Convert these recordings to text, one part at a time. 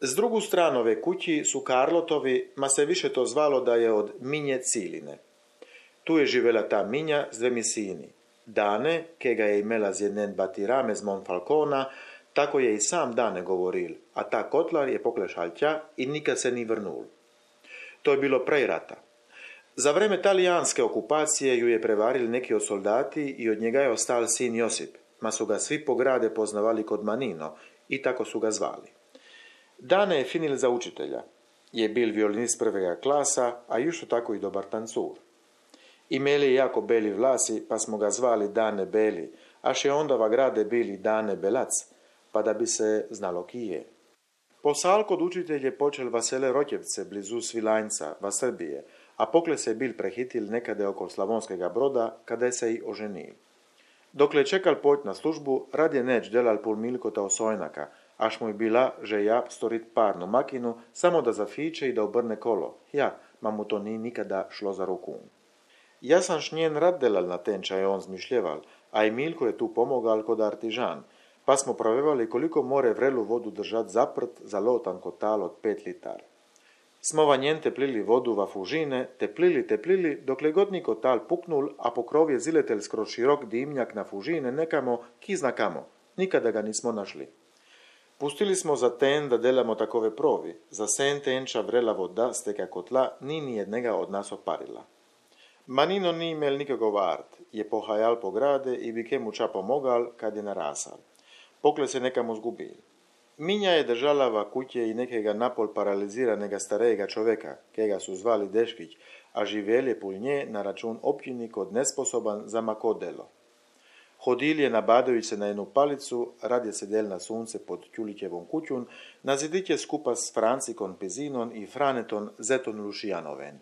S drugu stranu ove kući su Karlotovi, ma se više to zvalo da je od Minje Ciline. Tu je živela ta Minja z dvemi sini. Dane, ke ga je imela z jeden batirame z Monfalcona, tako je i sam Dane govoril, a ta kotlar je poklešal tja i nikad se ni vrnul. To je bilo prej rata. Za vreme talijanske okupacije ju je prevaril neki od soldati i od njega je ostal sin Josip, ma su ga svi po grade poznavali kod Manino i tako su ga zvali. Dane je finil za učitelja. Je bil violinist prvega klasa, a jušto tako i dobar tancur. Imeli je jako beli vlasi, pa smo ga zvali Dane Beli, a še onda va grade bili Dane Belac, pa da bi se znalo ki je. Posal kod učitelj je počel Vasele Rokjevce, blizu Svilajnca, va Srbije, a pokle se bil prehitil nekade oko Slavonskega Broda, kada se i oženil. Dokle je čekal poć na službu, rad je neč delal pol milkota osojnaka, až mu je bila žeja storit parnu makinu, samo da zafiče i da obrne kolo. Ja, ma mu to ni nikada šlo za ruku. Ja sam šnjen rad delal na tenča je on zmišljeval, a i Milko je tu pomogal kod artižan, pa smo provevali koliko more vrelu vodu držat zaprt za lotan kotal od 5 litar. Smo vanjen teplili vodu va fužine, teplili, dokle god ni kotal puknul, a pokrov je ziletel skroz širok dimnjak na fužine nekamo, ki zna kamo, nikada ga nismo našli. Pustili smo za ten da delamo takove provi, za sen tenča vrela voda steka kotla ni nijednega od nas oparila. Manino ni imel nikakov art, je pohajal po grade i bi ke mu ča pomogal kad je narasal. Pokle se nekamo zgubil. Minja je držala va kuće i nekega napol paraliziranega starejega čoveka, kega su zvali Deškić, a živel je pul nje na račun općini kod nesposoban za mako delo. Hodil je nabadajući se na jednu palicu, rad je sedel na sunce pod Ćulićevom kućun, na zidiće skupa s Francikon Pezinon i Franeton Zeton Lušijanoven.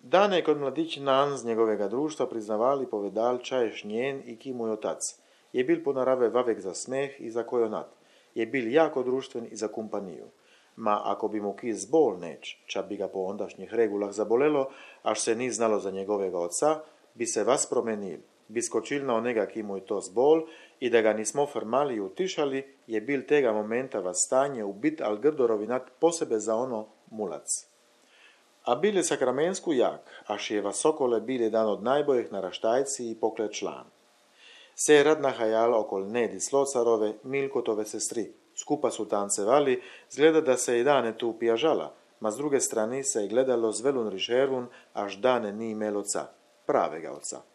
Dane je kod mladić Nan z njegovega društva priznavali povedal čaješ njen i ki mu je otac. Je bil po narave vavek za smeh i za kojonat. Je bil jako društven i za kumpaniju. Ma ako bi mu ki zbol neč, ča bi ga po ondašnjih regulah zabolelo, až se ni znalo za njegovega oca, bi se vas promenil, bi skočil na onega ki mu je to zbol i da ga nismo farmali i utišali, je bil tega momenta vas stanje ubit al grdorovinat posebe za ono mulac. A bil je sakramensku jak, až je vas Sokole bil jedan od najboljih naraštajci i pokle član. Se je rad nahajal okol Nedi Slocarove, Milkotove sestri. Skupa su tancevali, zgleda da se i Dane tu pijažala, ma s druge strane se je gledalo z velun rišervun, až Dane ni imel oca, pravega oca.